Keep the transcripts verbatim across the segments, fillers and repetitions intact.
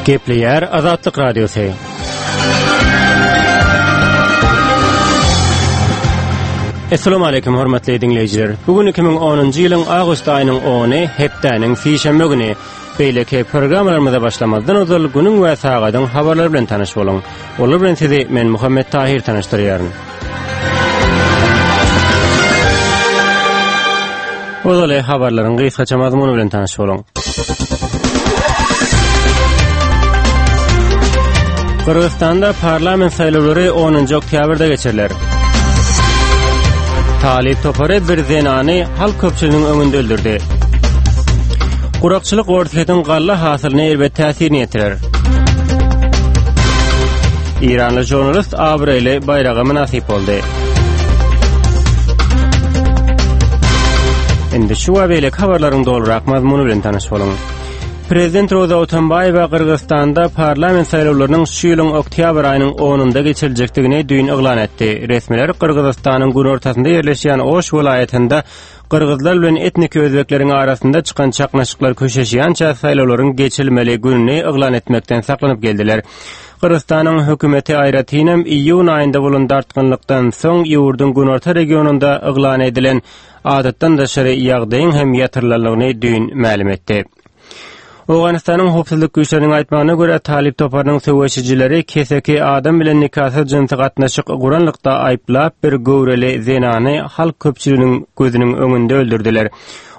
Gepleýär Azatlyk Radiosy. Assalamu alaykum hormatly dinleýjiler. Bu gün iki müň onunjy ýylyň awgust aýynyň ony, hepdäniň sişenbe güni. Beýleki programmalarymyza başlamazdan ozal günüň we sagadyň habarlary bilen tanyş boluň. Olar bilen sizi men Muhammet Tahir tanyşdyrýaryn. Ozaly habarlaryň gysgaça mazmuny bilen tanyş boluň. Gyrgyzystanda parlament saýlawlary onunjy oktýabrda geçiriler. Talyp topary bir zenany halk köpçüliginiň öňünde öldürdi. Gurakçylyk Orsýetiň galla hasylyna erbet täsirini ýetirer. Iranly žurnalist abraýly baýraga mynasyp boldy. Indi şu we beýleki habarlaryň dolurak mazmuny bilen tanyş boluň. Prezident Roza Otunbaýewa Gyrgyzystanda parlament saýlawlarynyň şu ýylyň oktýabr aýynyň onunda geçiriljekdigini düýn yglan etdi. Resmiler Gyrgyzystanyň günortasynda ýerleşýän Oş welaýatynda gyrgyzlar bilen etniki özbekleriň arasynda çykan çaknyşyklar köşeşýänçä saýlawlaryň geçirilmeli gününi yglan etmekden saklanyp geldiler. Gyrgyzystanyň hökümeti aýratynam iýun aýynda bolan dartgynlykdan soň ýurduň günorta regionynda yglan edilen adatdan daşary ýagdaýyň hem ýatyrylanlygyny düýn mälim etdi. Owganystanyň howpsuzlyk güýçleriniň aýtmagyna görä, Talyp toparynyň söweşijileri keseki adam bilen nikasyz jynsy gatnaşyk guranlykda aýyplap bir göwreli zenany halk köpçüliginiň gözüniň öňünde öldürdiler.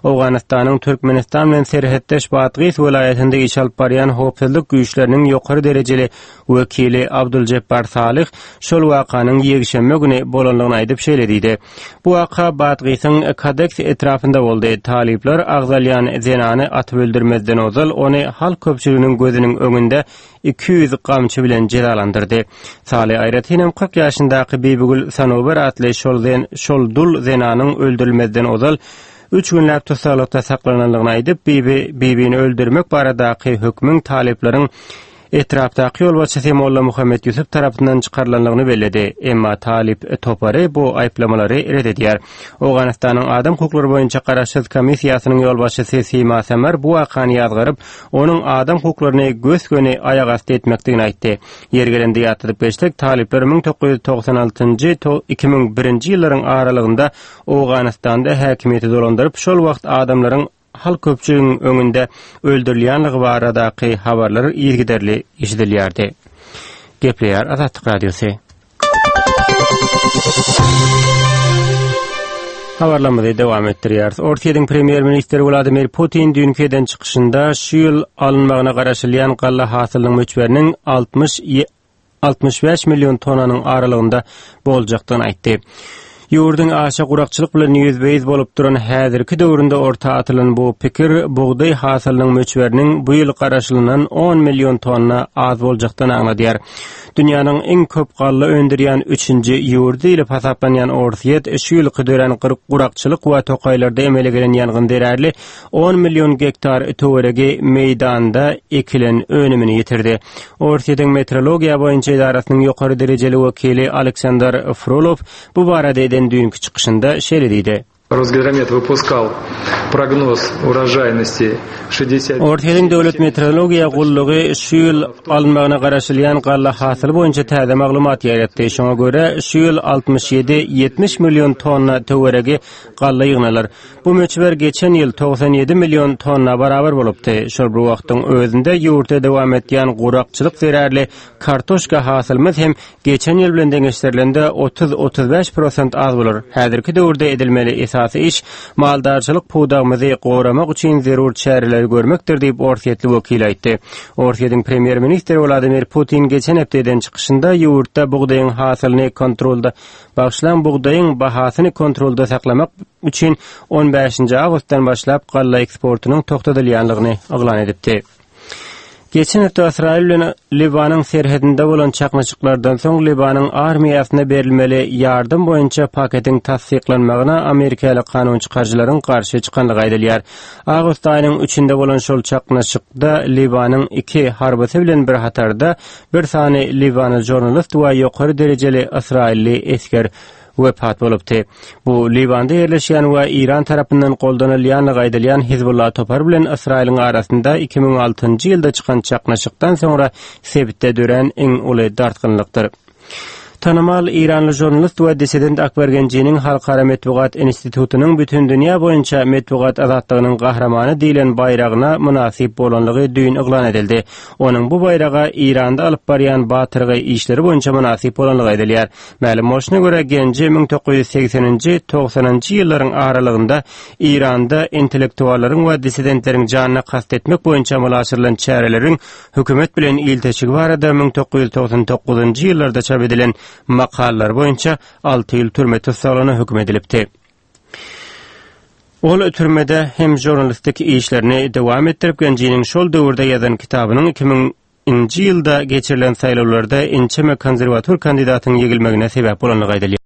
Owganystanyň Türkmenistan bilen serhetdeş Batgys welaýatynda iş alyp barýan howpsuzlyk güýçleriniň ýokary derejeli wekili Abduljepbar Salyh şol wakanyň ýekşenbe güni bolanlygyny aýdyp şeýle diýdi. Bu waka Batgysyň Kadeks etrapynda boldy. Talyplar agzalýan zenany atyp öldürmezden ozal ony halk köpçüliginiň gözüniň öňünde iki ýüz gamçy bilen jezalandyrdy. Saly aýratynam kyrk ýaşyndaky Bibigül Sanober atly şol zen, şol dul zenanyň öldürilmezden ozal üç günläp tussaglykda saklananlygyny aýdyp, Bibi, Bibini öldürmek baradaky hökmüň talyplaryň etrapdaky ýolbaşçysy Molla Muhammet Ýusuf tarapyndan çykarylanlygyny belledi. Emma talyp topary bu aýyplamalary ret edýär. Owganystanyň adam hukuklary boýunça garaşsyz komissiýasynyň ýolbaşçysy Sima Samar bu wakany ýazgaryp, onuň adam hukuklaryny gös-göni aýagasty etmekdigini aýtdy. Ýeri gelende ýatladyp geçsek, talyplar müň dokuz ýüz togsan altynjy to iki müň birinji ýyllaryň aralygynda Owganystanda häkimiýeti dolandyryp, şol wagt adamlaryň halk köpçüligiň öňünde öldürilýänligi baradaky habarlar yzygiderli eşidilýärdi. Gepleýär Azatlyk Radiosy. Habarlarymyzy dowam etdirýäris. Orsýetiň premýer-ministri Wladimir Putin düýnki eden çykyşynda şu ýyl alynmagyna garaşylýan galla hasylynyň möçberiniň altmyş altmyş bäş million tonanyň aralygynda boljakdygyny aýtdy. Ýurduň aşa gurakçylyk bilen ýüzbe-ýüz bolup duran häzirki döwründe orta atylan bu pikir bugdaý hasylynyň möçberiniň bu ýyl garaşylynan on million tonna az boljakdygyny aňladýar. Dünýäniň iň köp galla öndürýän üçünji ýurdy diýlip hasaplanýan Orsýet şu ýylky dörän gurakçylyk we tokaýlarda emele gelen ýangyn zerarly on million gektar töweregi meýdanda ekilen önümini ýitirdi. Orsýetiň meteorologiýa boýunça edarasynyň ýokary derejeli wekili Aleksandr Frolov bu barada eden düýnki çykyşynda şeýle diýdi. Росгидромет выпускал прогноз урожайности шестьдесят Orsýetiň döwlet meteorologiýa gullugy şu ýyl alynmagyna garaşylýan galla hasyly boýunça täze maglumat ýaýratdy. Şoňa görä şu ýyl altmyş ýedi ýetmiş million tonna töweregi galla ýygnalar. Bu möçber geçen ýyl togsan ýedi million tonna barabar bolupdy. Şol bir wagtyň özünde ýurtda dowam etýän gurakçylyk zerarly kartoşka hasylymyz hem geçen ýyl bilen deňeşdirilende otuz otuz bäş prosent az bolar. Häzirki döwürde edilmeli esasy iş maldarçylyk pudagymyzy goramak üçin zerur çäreleri görmekdir diýip Orsýetli wekil aýtdy. Orsýetiň premýer-ministri Wladimir Putin geçen hepde eden çykyşynda ýurtda bugdaýyň hasylyny kontrolda bagşlan bugdaýyň bahasyny kontrolda saklamak üçin on bäşinji awgustdan başlap galla eksportynyň togtadylýanlygyny yglan edipdi. Geçen hepde Ysraýyl bilen Liwanyň serhedinde bolan çaknyşyklardan soň Liwanyň armiýasyna berilmeli ýardam boýunça paketiň tassyklanmagyna Amerikaly kanun çykaryjylaryň garşy çykanlygy aýdylýar. Awgust aýynyň üçünde bolan şol çaknyşykda Liwanyň iki harbysy bilen bir hatarda bir sany Liwanly žurnalist we ýokary derejeli Ysraýylly esger wepat bolupdy. Bu Liwanda ýerleşýän we Eýran tarapyndan goldanylýanlygy aýdylýan Hizbullah topary bilen Ysraýylyň arasynda iki müň altynjy ýylda çykan çaknyşykdan soňra sebitde dörän iň uly dartgynlykdyr. Tanymal eýranly žurnalist we dissident Akbar Genjiniň Halkara metbugat institutynyň bütindünýä boýunça metbugat azatlygynyň gahrymany diýlen baýragyna mynasyp bolanlygy düýn yglan edildi. Onuň bu baýraga Eýranda alyp barýan batyrgaý işleri boýunça mynasyp bolanlygy aýdylýar. Mälim bolşuna görä, Genji müň dokuz ýüz segseninji, togsanynjy ýyllaryň aralygynda Eýranda intellektuallaryň we dissidentleriň janyna kast etmek boýunça amala aşyrylan çäreleriň hökümet bilen ilteşigi barada müň dokuz ýüz togsan dokuzynjy ýyllarda çap edilen makalalar boýunça alty ýyl türme tussaglygyna höküm edilipdi. Ol türmede hem žurnalistik işlerini dowam etdirip, Genjiniň şol döwürde ýazan kitabynyň iki müň nji ýylda geçirilen saýlawlarda ençeme konserwator kandidatyň ýegilmegine sebäp bolanlygy aýdylýar.